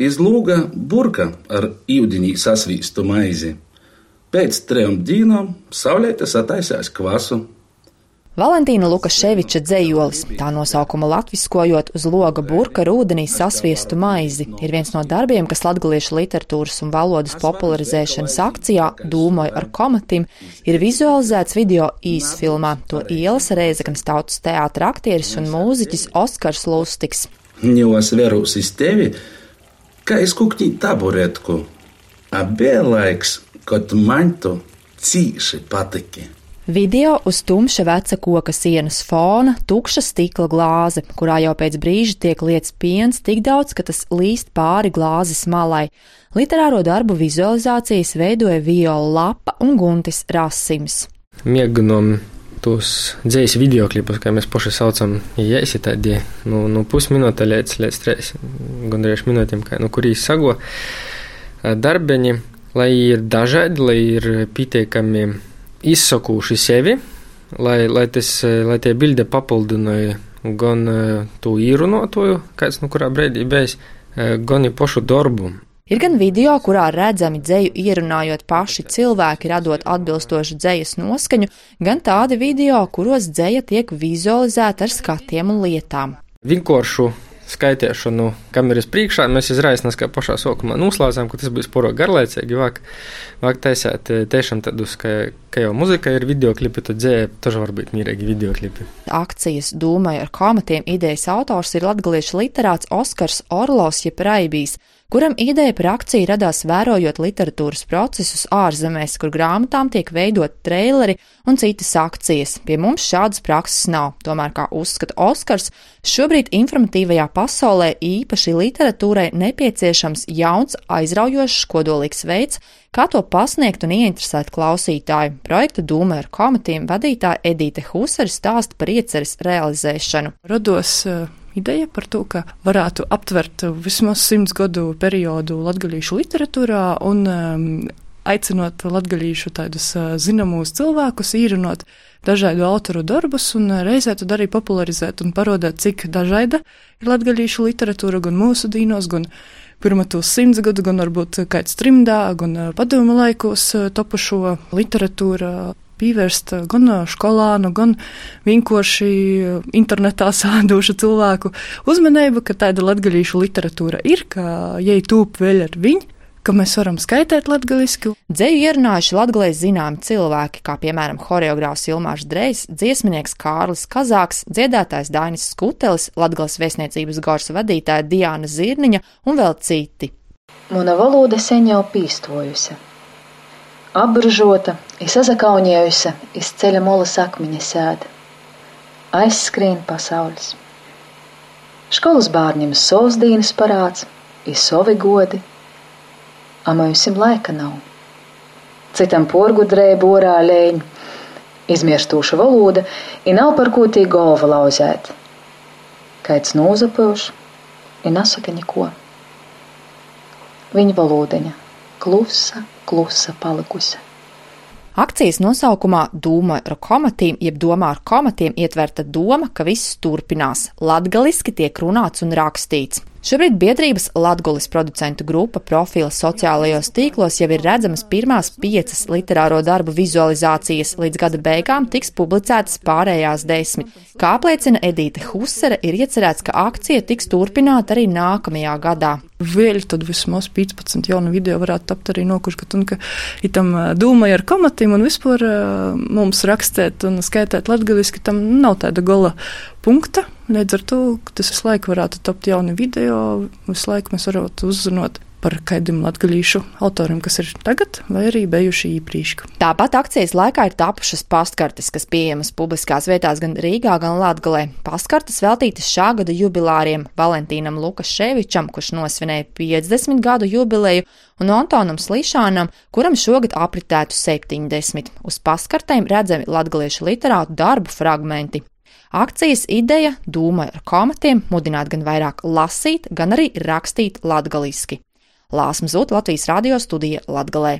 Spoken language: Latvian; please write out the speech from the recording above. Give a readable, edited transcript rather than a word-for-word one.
Iz loga burka ar ūdenī sasvīstu maizi. Pēc 3 dienām saulēte sataisās kvasu. Valentīna Lukaševiča dzejolis, tā nosaukumu latviskojot uz loga burka ar ūdenī sasviestu maizi, ir viens no darbiem, kas latgaliešu literatūras un valodas popularizēšanas akcijā Dūmoju ar komatim ir vizualizēts video īsfilmā. To ielasa Rēzeknes tautas teātra aktieris un mūziķis Oskars Lustiks. Ņos verūs iz tevi, kā iz kukņī taburetku. Bija laiks, kad man tu cīši patiki. Video uz tumša veca koka sienas fona, tukša stikla glāze, kurā jau pēc brīža tiek lietas piens tik daudz, ka tas līst pāri glāzes malai. Literāro darbu vizualizācijas veidoja Viola Lapa un Guntis Rasims. Mēģinām tos dzējas videoklipus, kā mēs paši saucam, iesi tādi, pusminūte līdz 3 gandrīz minūtēm, kurī sago darbeņi, lai ir dažādi, lai ir pietiekami izsakūši sevi, lai tie bilde papildināja gan to īrunotoju, kāds kurā brīdī bijis, gan ir pašu darbu. Ir gan video, kurā redzami dzeju ierunājot paši cilvēki, radot atbilstošu dzejas noskaņu, gan tādi video, kuros dzeja tiek vizualizēta ar skatiem un lietām. Vienkāršu skaitēšanu kameras priekšā mēs izraisnās, kā pašā sokumā noslēdzām, ka tas būs poro garlaicīgi, vāk taisēt tiešām tādus, ka jau muzika ir videoklipi, tad dzēja taži var būt mīrīgi videoklipi. Akcijas Dūmoju ar komatiem idejas autors ir latgaliešu literāts Oskars Orlovs jeb Raibijs, kuram ideja par akciju radās vērojot literatūras procesus ārzemēs, kur grāmatām tiek veidot treileri un citas akcijas. Pie mums šādas prakses nav, tomēr, kā uzskata Oskars, šobrīd informatīvajā pasaulē īpaši literatūrai nepieciešams jauns, aizraujošs, kodolīgs veids, kā to pasniegt un ieinteresēt klausītāju. Projekta Dūmoju ar komatiem vadītāja Edīte Husare stāsta par ieceres realizēšanu. Rados ideja par to, ka varētu aptvert vismaz 100 gadu periodu latgalīšu literatūrā un aicinot latgalīšu tādus zināmus cilvēkus, īrunot dažādu autoru darbus un reizē tad arī popularizēt un parodēt, cik dažāda ir latgalīšu literatūra gan mūsu dīnos, gan pirmatos 100 gadu, gan varbūt kāds trimdā, gan padomu laikos topušo literatūra. Pievērst gan skolānu, gan vienkārši internetā sādošu cilvēku uzmanību, ka tāda latgalīšu literatūra ir, ka jai tūp vēl ar viņu, ka mēs varam skaitēt latgaliski. Dzeju ierunājuši latgalēs zināmi cilvēki, kā piemēram horeogrāfs Ilmārs Drejs, dziesminieks Kārlis Kazāks, dziedātājs Dainis Skutelis, Latgales vēstniecības gors vadītāja Diāna Zirniņa un vēl citi. Mana valoda sen jau pīstojusi. Apburžota, sazakaunējusi, iz ceļa molas akmeņa sēda. Aizskrien pasaules. Školas bārņiem savs dīnas parāds, savi godi, a mūsim laika nav. Citam porgudrēja borā lēņ, izmirstūša valoda, nav par ko tī golva lauzēt. Kaids nūzapilš, nasaka neko. Viņa valodeņa. Klusa palikusi. Akcijas nosaukumā Dūmoju ar komatiem, jeb domā ar komatiem ietverta doma, ka viss turpinās. Latgaliski tiek runāts un rakstīts. Šobrīd biedrības Latgulis producentu grupa profila sociālajos tīklos jau ir redzamas pirmās 5 literāro darbu vizualizācijas, līdz gada beigām tiks publicētas pārējās 10. Kā apliecina Edīte Husare, ir iecerēts, ka akcija tiks turpināta arī nākamajā gadā. Vēl tad vismaz 15 jaunu video varētu tapt arī nokuškat, un ka itam Dūmoju ar komatiem un vispār mums rakstēt un skaitēt latgaliski, tam nav tāda gala punkta. Līdz ar to, tas visu laiku varētu tapt jauni video, visu laiku mēs varētu uzzināt par kādiem latgalīšu autoriem, kas ir tagad vai arī bijuši iepriekš. Tāpat akcijas laikā ir tapušas pastkartes, kas pieejamas publiskās vietās gan Rīgā, gan Latgalē. Pastkartes veltītas šā gada jubilāriem Valentīnam Lukaševičam, kurš nosvinēja 50 gadu jubileju, un Antonam Slišanam, kuram šogad apritētu 70. Uz pastkartēm redzami latgaliešu literātu darbu fragmenti. Akcijas ideja Dūmoju ar komatiem mudināt gan vairāk lasīt, gan arī rakstīt latgaliski. Lāsma Zūta, Latvijas radio studija Latgalē.